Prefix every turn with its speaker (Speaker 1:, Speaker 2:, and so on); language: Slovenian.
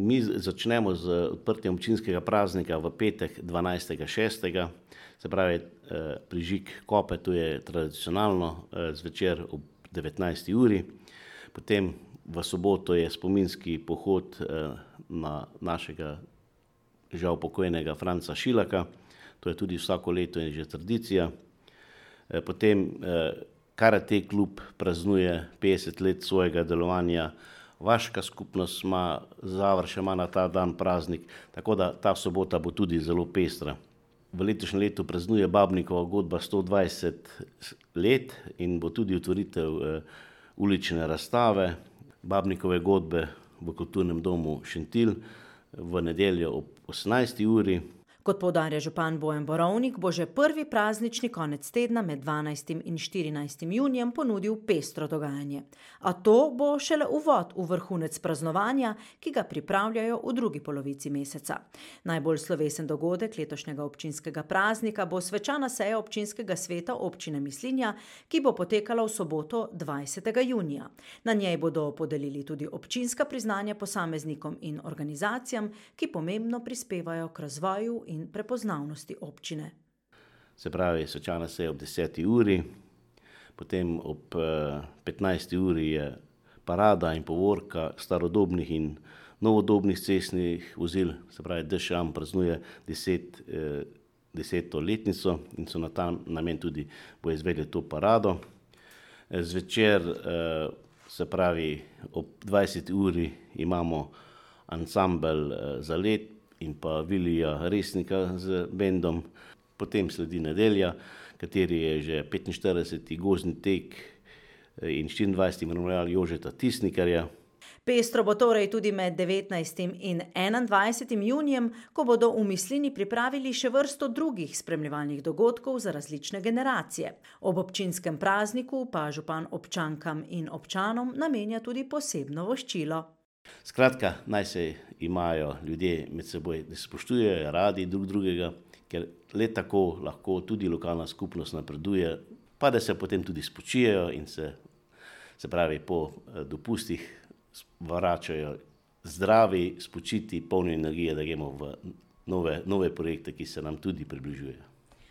Speaker 1: Mi začnemo z odprtjem občinskega praznika v petek 12.6., se pravi prižig kope, to je tradicionalno zvečer ob 19. uri. Potem v soboto je spominski pohod na našega žal pokojnega Franca Šilaka, to je tudi vsako leto in že tradicija. Potem karate klub praznuje 50 let svojega delovanja, vaška skupnost ima, Zavrč ima na ta dan praznik, tako da ta sobota bo tudi zelo pestra. V letošnjem letu praznuje Babnikova godba 120 let in bo tudi otvoritev ulične razstave Babnikove godbe v Kulturnem domu Šentilj v nedeljo ob 18. uri.
Speaker 2: Kot poudarja župan Bojan Borovnik, bo že prvi praznični konec tedna med 12. in 14. junijem ponudil pestro dogajanje. A to bo šele uvod v vrhunec praznovanja, ki ga pripravljajo v drugi polovici meseca. Najbolj slovesen dogodek letošnjega občinskega praznika bo svečana seja občinskega sveta občine Mislinja, ki bo potekala v soboto 20. junija. Na njej bodo podelili tudi občinska priznanja posameznikom in organizacijam, ki pomembno prispevajo k razvoju in prepoznavnosti občine.
Speaker 1: Se pravi, svečana seja ob 10. uri, potem ob 15. uri je parada in povorka starodobnih in novodobnih cestnih vozil, se pravi DŠAM praznuje 10. letnico in so na ta namen tudi bo izvedli to parado. Zvečer, se pravi ob 20. uri imamo ansambel Zalet in pa Vilija Resnika z bendom. Potem sledi nedelja, kateri je že 45. gozdni tek in 24. memorial Jožeta Tisnikarja.
Speaker 2: Pestro bo torej tudi med 19. in 21. junijem, ko bodo v Mislinji pripravili še vrsto drugih spremljevalnih dogodkov za različne generacije. Ob občinskem prazniku pa župan občankam in občanom namenja tudi posebno voščilo.
Speaker 1: Skratka, naj se imajo ljudje med seboj, da se spoštujejo, radi drug drugega, ker le tako lahko tudi lokalna skupnost napreduje, pa da se potem tudi spočijejo in se pravi po dopustih vračajo zdravi, spočiti, polni energije, da gremo v nove projekte, ki se nam tudi približujejo.